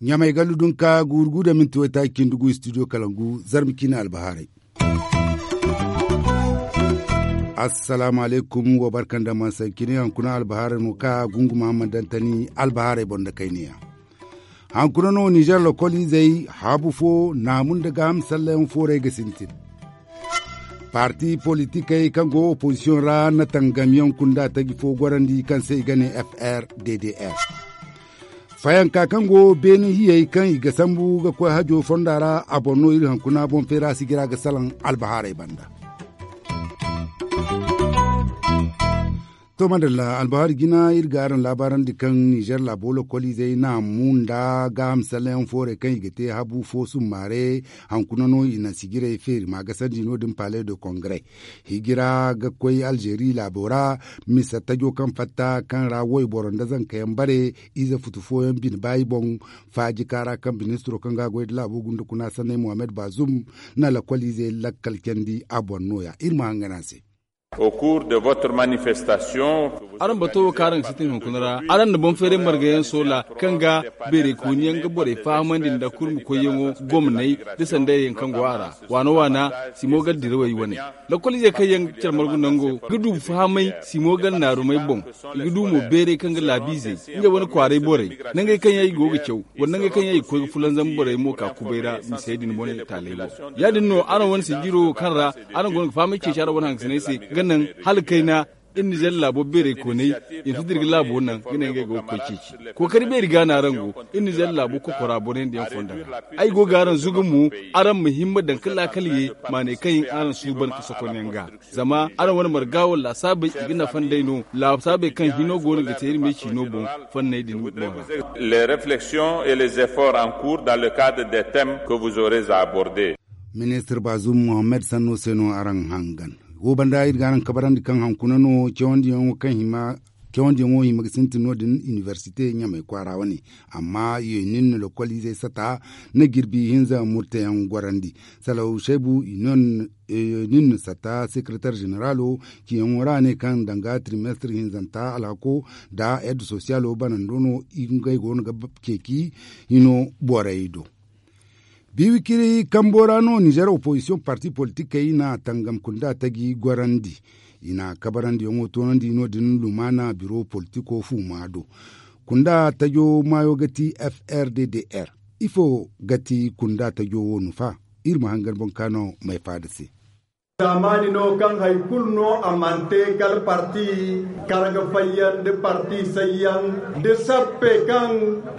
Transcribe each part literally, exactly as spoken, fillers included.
Ɲamay gallu dunka guuru gu da minti waytaaci cindi gu studio kalangu zarma ciine albahaarey. Assalaamu alaykum, wa barka nda mansancine. Hankuna albahaarey no ka gunguma ma dantani albahaarey boŋ nda kayniya. Hankuna no nizer lokoliizey haabu fo naamu nda gaaham sallayaŋ fooray ga sintin. Parti politikey kaŋ go opozisiyoŋ ra na tangamyaŋ kunda taji fo gorandi kaŋ se i ga ne f r d d r. Fayanka kaŋ go beene hiyey kaŋ i ga sambu ga koy hajo fonda ra, a boŋ no iri hankuna boŋ feera sijira ga salaŋ albahaarey banda. To madalla, albahaari jina iri ga araŋ laabaarandi kaŋ nizer laabo lokoliizey naamu nda gaaham sallayaŋ foorey kaŋ i ga te habu fo summaare. Hankuna no i na sijirey feeri ma gasandi no- din palais de congrès. Hijira ga koy alzeeri laabo ra, misa tajo kaŋ fatta kaŋ ra wayboro nda zankayaŋ bare. Ize futu fooyaŋ bine baayi boŋ. Faaji kaara kaŋ ministiro kaŋ ga a goy nda laabo gunda kuna sanney mohammed baazum na lokoliizey lakkal candi a boŋ nooya iri ma hangan a se. Au cours de votre manifestation. Araŋ bato wo kaŋ araŋ ga sintin hunkuna ra, araŋ na boŋ feeray margayaŋ soola kaŋ ga beeray kooniyaŋ ga borey fahamandi nda kurmi koyyaŋo gomney da sandayyaŋ kaŋ go a ra. Waana waana simo ga dirawey wane. Lokoliizey kaŋ yaŋ care margu nango ga du fahamay simo ga naarumey boŋ. I ga du mo beeray kaŋ ga laabiizey, ngey wane kwaaray borey, nangey kaŋ yaŋ i go ga caw, wala nangey kaŋ yaŋ i ga koy ga fulanzam borey mo ka kubay ra misey din wane taaley boŋ. Ya- din no araŋ wane sijiro kaŋ ra araŋ go no ga fahamay ceeci araŋ wane hangasiney se ga naŋ hala kayna. Iri nizer laabo beeray koonay i ma si dira ga laabo naŋ ga ne ngey go ga koy ceeci. Kookari beeri ga no araŋ go. Iri nizer laabo kokora boro yaŋ da yaŋ fonda ra. Ay go ga araŋ zuga mo, araŋ ma himma daŋ ka laakal ye maaney kaŋ yaŋ araŋ suuban ka sokonyaŋ ga. Zama araŋ wane marga wala laasaabey i ga nafa nd'ey no. Laasaabey kaŋ hino go no ga te iri me ciino boŋ fanney din boŋ ra. Les réflexions et les efforts en cours dans le cadre des thèmes que vous aurez à aborder. Ministir baazum mohammed sanno se no araŋ hangan. Wo banda iri ga araŋ kabarandi kaŋ hankuna no cawandiyaŋo kaŋ hima cawandiyaŋo hima ga sintin no- din inibersite ɲamay kwaara wane. Amma i ye nin na lokoliizey sata na jirbi hinza murteyaŋ gorandi. Salaw shaybu i no nin na sata sekeretar ženeralo ciyaŋo ra ne kaŋ danga tirimestir hinzanta alhako nda ed sosiyalo banando no. Ngey go no ga ceeci hino borey do. Biiwikiri kambo ra no nizer opozisiyoŋ parti politikey na tangam kunda taji gorandi. I na kabarandiyaŋo toonandi no- din lumaana biro politiko fuuma do. Kunda tajo maayo ga ti f r d d r. Ifo ga ti kunda tajo wo no fa? Iri ma hangan boŋ kaano may faada se. Zaamaani no kaŋ hari kulu no a mana te kala parti karga fayyaŋ nda parti sayyaŋ nda sappe kaŋ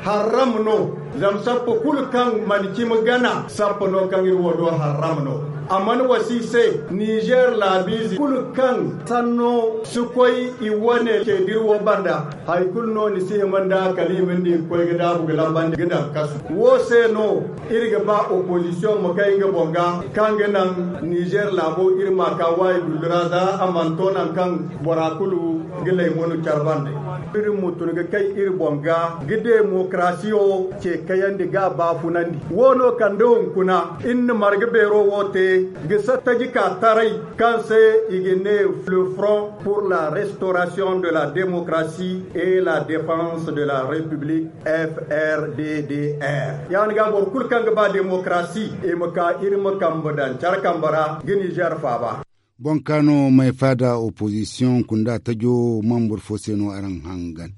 harram no. Zama sappe kulu kaŋ mana cimi gana sappe no kaŋ iri wo do harram no. A mana wasi se nizer laabiize kulu kaŋ sanno si koy i wane ceediri wo banda. Hari kulu no ni si hima nda kala i ma ni di ga koy ga daabu ga lambandi ga daŋ kasu. Wo se no iri ga ba opozisiyoŋ ma kay nga boŋ ga kaŋ ga naŋ nizer laabo iri ma ka waayi dullu ra za a mana to naŋ kaŋ bora kulu ga laymanu care bande. Iri ma tun ga kay iri boŋ ga ga demokarasiyo ce kayandi ga a baafunandi. Wo no kande hunkuna iri na marga beero wo te ga sattaji ka taray kaŋ se i ga ne le front pour la restauration de la démocratie et la défense de la république, f r d d r. Ya- din ga boro kulu kaŋ ga ba demokarasi i ma ka iri ma kambe daŋ care kambe ra ga nizer faaba. Boŋ kaano may faada opozisiyoŋ kunda tajo mambur fo se no araŋ hangan.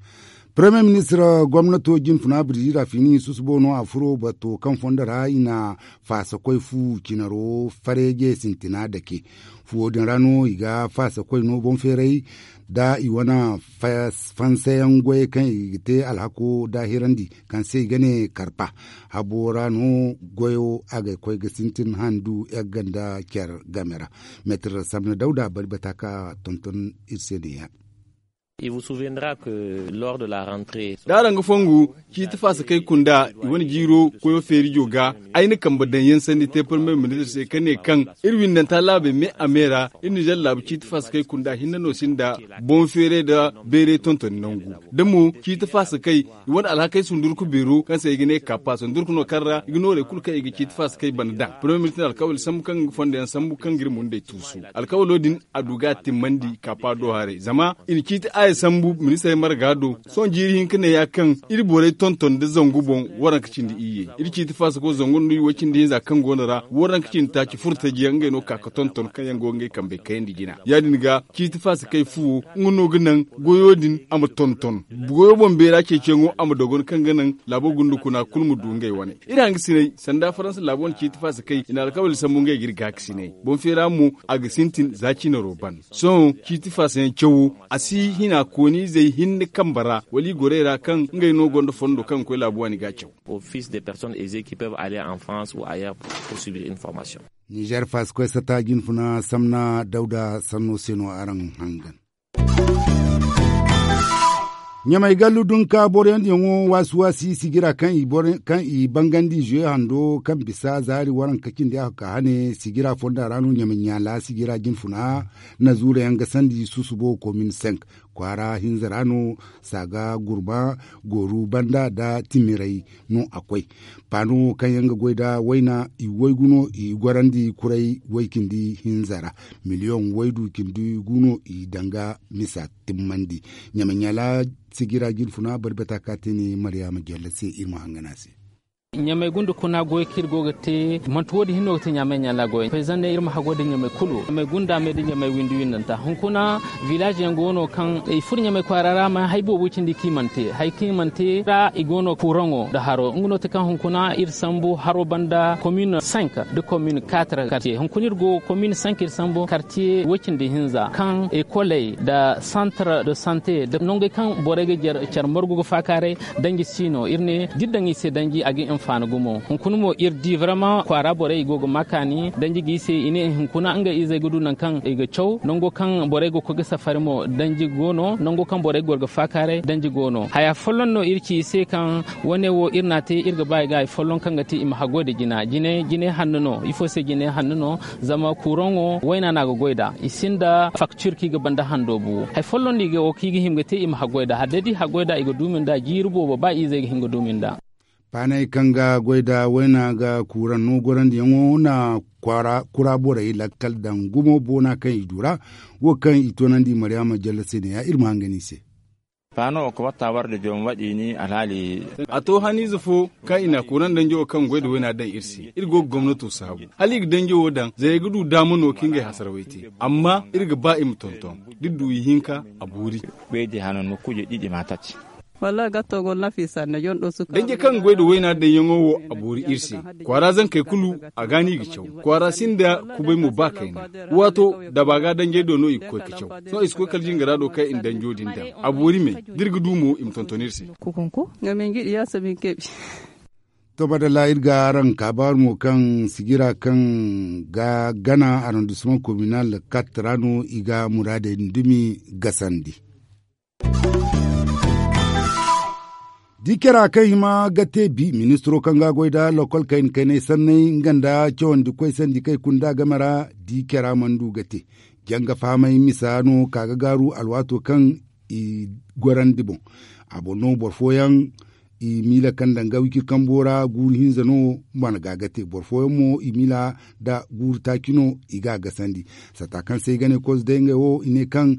Premier ministre gomnato jinfuna birjira fini susubo no a furo bato kaŋ fondo ra i na faasa koy fu cinaro fareeje sintina dake. Fuwo din ra no i ga faasa koy no boŋ feeray da i wane fansayaŋ goyey kaŋ i ga te alhako daahirandi kaŋ se i ga ne karpa. Habo ra no goyo a ga koy ga sintin handu yagganda care game ra. Meetir samna dawda bari bata ka tonton iri se ne ya. D'araŋ ga fongu ciiti faasakey kunda i wane jiiro koyo feerijo ga. Ay na kambe daŋ yaŋ sanni te parmiye ministir se ka ne kaŋ iri windanta laabey me a me ra iri nizer laabu ciiti faasakey kunda hinne no sinda boŋ feeray nda bayray tontoni nangu da mo ciiti faasakey i wane alhakey sundurku beero kaŋ se i ga ne kaapa sundurku no kaŋ ra i ga noorey kulu kaŋ i ga ciiti faasakey bana daŋ parmiye ministir alkawali sambu kaŋ ga nga fondo yaŋ sambu kaŋ ga iri mundey tuusu. Alkawalo din a du ga a timmandi kaapa do haray zama i na ciiti aaya sambu ministirey marga do. Sohõ jiiri hinka ne ya kaŋ iri borey tonton nda zangu boŋ waranka cindi iyye iri ciiti faasako zangu nda way cindi hinza kaŋ go no ra waranka cindi taaci furtaji yaŋ ngey no ka ga tonton kaŋ yaŋ go ga ngey kambey kayandi jina ya- din ga ciiti faasakey fuwo nga no ga naŋ goyo din a ma tonton. Goyo boŋ beera ceeciyaŋo a ma dogon kaŋ ga naŋ laabo gunda kuna kulu ma du ngey wane. Iri hangasiney sanda faransa laabo wane ciiti faasakey i na alkawali sambu ngey ga iri gaakasiney boŋ feera mo a ga sintin za ciinaro ban. Sohõ ciiti faasa yaŋ cawo a si hina kooniizey hinne kambe ra wala i gorey ra kaŋ ngey no gonda fondo kaŋ ga koy laabu waani ga a caw. Office des personnes aisées qui peuvent aller en france ou ailleurs pour subir une formation. Nizer faasikoy sata jinfuna samna dawda sanno se no araŋ hangan. Ɲamay gallu dunka boroyaŋ diyaŋo waasi waasi sigira kaŋ i bangandi zuwe hando kaŋ bisa zaari waranka cindi a ka hane sigira fonda ra no ɲamay ɲaala sigira jinfuna na zuura yaŋ ga sandi susubo komin senk kwaara hinza ra no saaga gurma gooru banda nda timiray no a koy. Paano kaŋ yaŋ ga goy nda wayna i waygu no i gorandi kuray way cindi hinza ra miliyoŋ waydu cindi gu no i danga misa timmandi. Ɲama ɲala sigira jinfuna bari bata ka te ne mariyama jalla se iri ma hangana se. Ɲamay gunda kuna goy kaŋ iri go ga te manti wo- din hinno ga te ɲamay ɲala goy payzanne iri ma hago da ɲamay kulu ɲamay gunda me da ɲamay windi windanta hunkuna. Village yaŋ go no kaŋ i furo ɲamay kwaara ra ma hari boobo cindi kaŋ i mana te hari kaŋ i mana te ra i go no kuraŋo nda haro nga no te kaŋ hunkuna iri sambu haro banda commune cinq da commune quatre quartier hunkuna iri go commune cinq iri sambu quartier way cindi hinza kaŋ ekoley nda centre de santé nda nongey kaŋ borey ga care margu ga faakaaray. Danji si no iri ne da iri daŋ i se danji a ga i hinfaani gumo hunkuna mo iri di varama kwaara borey i go ga ma kaani danji ga i se i ne hunkuna ngey izey ga du nangu kaŋ i ga caw nango kaŋ borey ga koy ga safari mo danji go no nango kaŋ borey ga goro ga faakaaray danji go no haya folloŋ no iri ci i se kaŋ wane wo iri n'a te iri ga ba i ga hari folloŋ kaŋ ga te i ma haggoy nda jina jinay hanno no ifo se jinay hanno no. Zama kuraŋo wayna no a ga goy nd'a i sinda faktir kaŋ i ga banda hando bu hari folloŋ no i ga wo kaŋ i ga hima ga te i ma haggoy nd'a hala day da i haggoy nd'a i ga duumi nd'a jiiri boobo ba i izey ga hin ga duumi nd'a. Paanay kaŋ ga goy nda wayna ga kuuraŋ no gorandiyaŋo na kura borey lakkal daŋ gumo boona kaŋ i du ra wo kaŋ i toonandi mariyama jalla se ne ya iri ma hangan i se. Paano wo ga watta war da joom waɗi ni alhaali. A to haniize fo kaŋ i na a koona danjo wo kaŋ goy nda wayna daŋ iri se iri go ga gomnato saabu hala i ga danjo wo daŋ zayey ga du daama no kaŋ ngey hasarawey te amma iri ga ba i ma tonton da iri du ihinka a boori. Danji kaŋ ga goy nda wayna daŋyaŋo wo a boori iri se. Kwaara zankey kulu a ga no i ga caw kwaara sinda kubay mo ba kayna. Waato daba ga danjey do no i ga koy ga caw. Sohõ i si koy kala jingara do kaŋ i na danjo din daŋ a boori me da iri ga du mo i ma tonton iri se. To madalla iri ga araŋ kaabaaru mo kaŋ sigira kaŋ ga gana arrondissement communal kat ra no i ga muraadey dumi gasandi. Di kera kaŋ hima ga te bi ministiro kaŋ ga goy nda lokol kayna kaynay sanney nga nda cawandi koy sandi kaŋ i kunda game ra di kera mana du ga te. Janga fahamay misa no ka ga gaaru alwaato kaŋ i gorandi boŋ. A boŋ no boro fooyaŋ i miila kaŋ daŋ ga wiciri kambo ra guuru hinza no mana ga ga te boro fooyaŋ mo i miila nda guuru taaci no i ga a gasandi. Sata kaŋ se ay ga ne kozo day ngey wo i ne kaŋ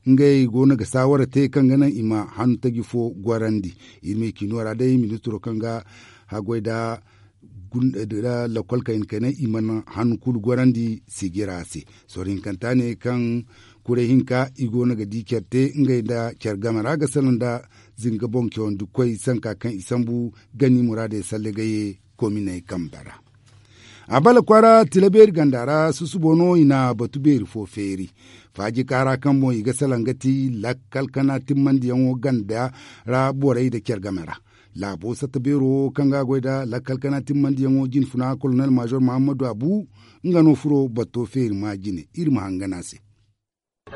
ngey go no ga saawara te kaŋ ga naŋ i ma hannu taji fo gorandi. Iri ma i ciino ra day ministiro kaŋ ga haggoy nda lakol kayna kaynay i mana hannu kulu gorandi sigira se. Sorro hinkanta ne kaŋ kuray hinka i go no ga di care te ngey nda care game ra ga salaŋ nda zinga boŋ cawandi koy sanka kaŋ i sambu gani muraadey salle ga ye kominey kambe ra. A bala kwaara tila beeri ganda ra susubo no i na batu beeri fo feeri. Faaji kaara kaŋ boŋ i ga salaŋ ga ti lakkal kana timmandiyaŋo ganda ra borey nda care game ra. Laabo satta beero wo kaŋ ga goy nda lakkal kana timmandiyaŋo jinfuna kolonel major mahammadu abu nga no furo bato feeri ma jine iri ma hangan a se.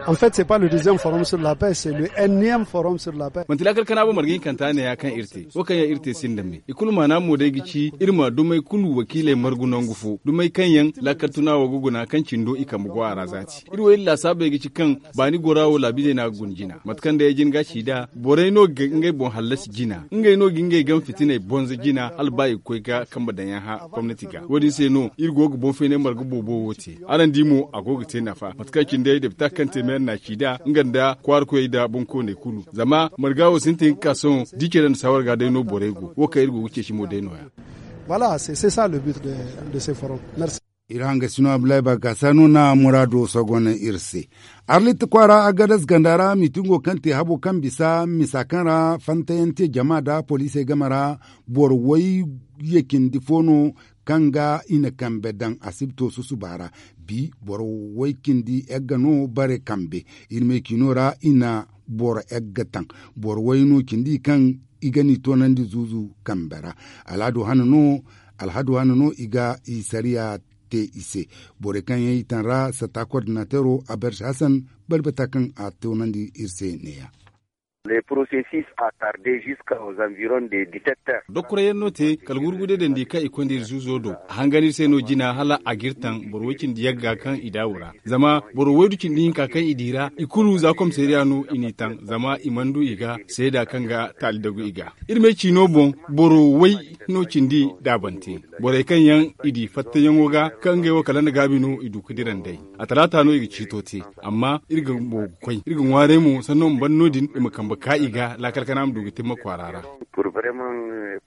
En fait, c'est pas le deuxième forum sur la paix, c'est le énième forum sur la paix. Manti laakal kana bo marga hinkanta ne ya kaŋ iri te wo kaŋ yaŋ iri te sinda me i kulu maana mo day ga ci iri ma dumey kulu wakiiley margu nangu fo dumey kaŋ yaŋ laakal tuna wo ga guna kaŋ cindo i kambe go a ra zaati iri wo iri laasaabey ga ci kaŋ baani gora wo laabizey no a ga guna jina mate kaŋ day ay jin ga a ci nd'a borey no ga ngey boŋ hallasi jina ngey no ga ngey game fitiney bonza jina hala ba i ga koy ga kambe daŋ yaŋ hã gomnati ga wo- din se no iri go ga boŋ feeney marga boobo wo te araŋ di mo a go ga te nafa mate kaŋ cine day depita kaŋ te meera na a ci nd'a nga nda kwaara koyey nda boŋkooney kulu zama marga wo sintin ga ka sohõ da i care nda saawar ga day no borey go wo kaŋ iri go ga ceeci mo day no- ya. Voilà, c'est ça le but de ces forums. Iri hangasino abdullahi bagasa no na muraado sogon iri se. Arlit kwaara agadas ganda ra miitingo kaŋ te habo kaŋ bisa misa kaŋ ra fantayaŋ te jama nda poliisey game ra boro way ya cindi fo no kaŋ ga i na kambe daŋ asibto susuba ra. Bi boro way cindi yagga no bare kambe. Iri me ciino ra i na boro yagga taŋ boro way no cindi kaŋ i ga n'i toonandi zuuzu kambe ra. Alhado hana no alhado hana no i ga i sariya te i se. Borey kaŋ yaŋ i taŋ ra sata kordinatero a berse hasan barbata kaŋ a toonandi iri se neeya. Le processus a tarde jusqu'aux environs de dix-sept heures. Dokkorayaŋ no te kala gurgude dandi kaŋ i konda iri zuuzo do a hangan iri se no jina hala a ga iri taŋ boro way cindi yagga kaŋ i daawu ra zama boro waydu cindi hinka kaŋ i di ra i kulu za komisariya no i n'i taŋ zama i mana du i ga seeda kaŋ ga taali dagu i ga. Iri me ciino boŋ boro way no cindi daabante borey kaŋ yaŋ i di fattayaŋo ga kaŋ ngey wo kala nda gaabi no i du ga dira nd'ey. A talaata no i ga ciito te amma iri ga boogu koy iri ga ŋwaaray mo sanno ma ban no- din i ma kambe ka i ga laakal kana ma du ga timma kwaara ra. Pour vraiment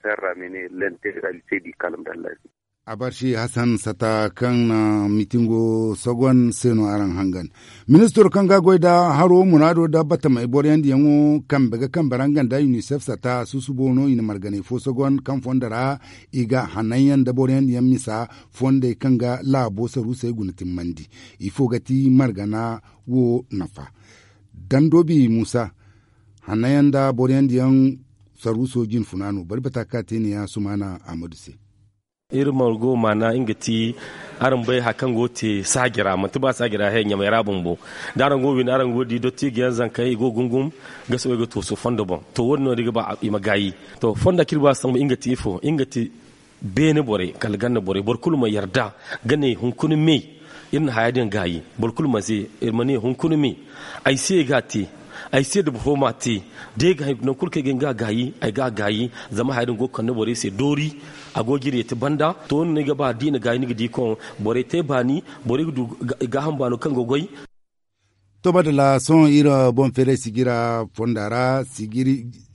faire ramener l'intégralité du calme dans la vie. A barsi hasan sata kaŋ na mitingo sogon se no araŋ hangan. Ministiro kaŋ ga goy nda haro muraado nda batamey boroyandiyaŋo kambe ga kambe ra nga nda unicef sata susubo no i na marganey fo sogon kaŋ fondo ra i ga hananyaŋ nda boroyandiyaŋ misa fondey kaŋ ga laabo saruusey guna timmandi. Ifo ga ti margana wo nafa? Dandoobi muusa hananyaŋ nda boroyandiyaŋ saruuso jinfuna no bari bata ka te ne ya sumaana ahmadu se. Iri margo maana nga ti araŋ bay hari kaŋ go ga te saaji ra manti ba saaji ra he ɲamay ra bumbo. Da araŋ go ga windi araŋ go ga di dottijo yaŋ zankey i go ga gungum ga soobay ga tooso fondo boŋ. To wo- din no day ga ba i ma gaayi. To fonda kaŋ iri ba sambu nga ti ifo nga ti beene borey kala ganda borey boro kulu ma yarda ga ne hunkuna me. Iri na haya din gaayi boro kulu ma se iri ma ne hunkuna me. Ay se ga a te ay se da boro fo m'a te. Da ay ga hay nangu kulu kaŋ ay ga hin ga a gaayi ay ga a gaayi. Zama haya din go ga kande borey se doori a go ga iri yeeti banda. To wo- din no ay ga ba da i na gaayi ni ga di koŋ borey te baani borey ga du gaaham baano kaŋ ga goy. To madalla sohõ iri boŋ feeray sijira fonda ra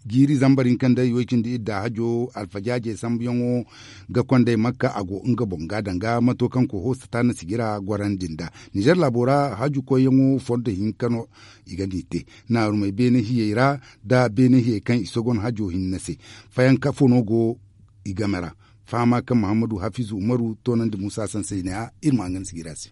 jiiri zambar hinka nda i way cindi idda hajo alfajaaje sambuyaŋo ga kondey makka a go nga boŋ ga danga mato kaŋ koho sata na sijira gorandi nda. Nizer laabo ra haju koyyaŋo fondo hinka no i ga n'i te naarumey beene hiyey ra nda beene hiyey kaŋ i sogon hajo hinne se. Fayanka fo no go i game ra. Fahama kaŋ muhammadu hafizu umaru toonandi muusa sansey ne-ya iri ma nga ni sijira se.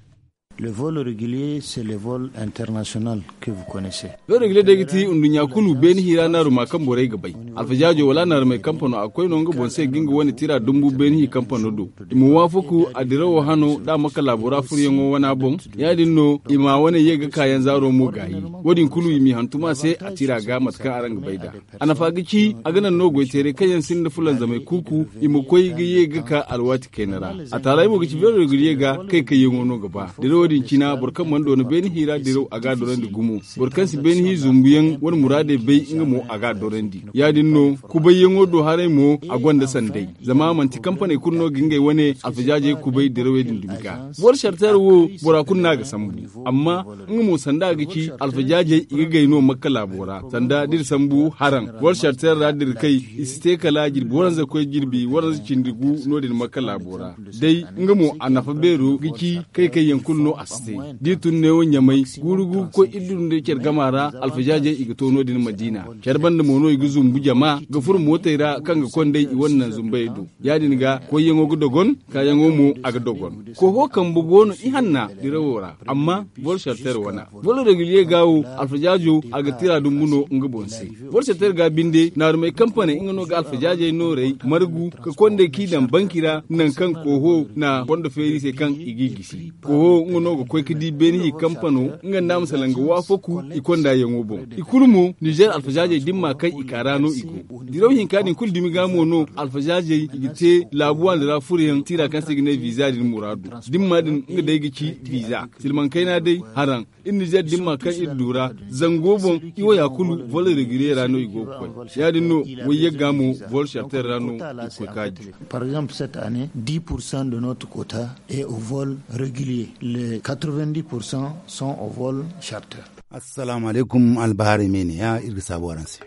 Le vol régulier c'est le vol international que vous connaissez. Beero ga le day ga ti nduɲɲa kulu beeni hi ra naaruma kaŋ borey ga bay. Alfajaajo wala naarumey kampano a ga koy no nga boŋ se ga nga wane tira dumbu beeni hi kampano do. I ma waafaku a dirawo hano da a ma kala bora furyaŋo wana boŋ. Ya- din no i ma wane ye ga kaayaŋ zaaro mo gaayi. Wo- din kulu i m'i hantum a se a tira ga mate kaŋ araŋ ga bay nd'a. A nafa ga ci a ga naŋ no goy teeray kaŋ yaŋ sinda fulanzamey kuuku i ma koy ga ye ga ka alwaati kayna ra. A taaray mo ga ci beero ga ye ga kay kayyaŋo no ga ba dirawo din cina boro kaŋ mana doona beene hi ra diraw a ga a dorandi gumo. Boro kaŋ si beene hi zumbuyaŋ wane muraadey bay nga mo a ga a dorandi. Ya- din no kubayyaŋo do haray mo a gonda sanday. Zama manti kampaney kulu no ga ngey wane alfajaajey kubay dirawey din dumi ga. Boro sartara wo bora kulu no a ga sambu. Amma nga mo sanda a ga ci alfajaajey i ga gay no makka laabo ra sanda da iri sambu haraŋ. Boro sartara ra da iri kay i si te kala jirbi waranza koy jirbi waranza cindi gu no- din makka laabo ra. Day nga mo a nafa beero ga ci kay kaŋ yaŋ kulu no a si te. Da iri tun neewo ɲamay guuru gu ga koy iri duru nda care gama ra. Alfajaajey i ga to no- din madiina care banda mo no i ga zumbu jama ga furo mootey ra kaŋ ga konday i wane naŋ zumbayey do. Ya- din ga koyyaŋo ga dogon kaayaŋo mo a ga dogon. Koho kambe go no ihanna dirawo ra. Amma boro sartara wana boro reguliye ga wo alfajaajo a ga tira dumbu no nga boŋ se. Boro sartara ga binde naarumey kampaney nga no ga alfajaajey nooray margu ka konday k'i daŋ banki ra naŋ kaŋ koho na fondo feeri se kaŋ i g'i gisi. Koho nga No ga koy ga di beene i kampano nga nda a ma salaŋ ga waafaku i konda yaŋo boŋ. I kulu mo nizer alfazaazey da ni ma kaŋ i ka ra no i go. Diraw hinka din kulu dumi ga mo no alfazaazey i ga te laabu waani ra furo yaŋ tiira kaŋ se i ga ne viza din muraadu. Da ni ma din nga day ga ci viza silmaŋ kayna day haraŋ. Iri nizer da ni ma kaŋ iri du ra zango boŋ i wo ya kulu vol regulier ra no i go ga koy. Ya- din no wayyagga mo vol sharter ra no i ga koy kaaji. Par exemple cette année dix pour cent de notre quota est au vol regulier. Les quatre-vingt-dix pour cent sont au vol sharter. Assalaamu alaykum albahaarey me ne ya iri ga saabu araŋ se.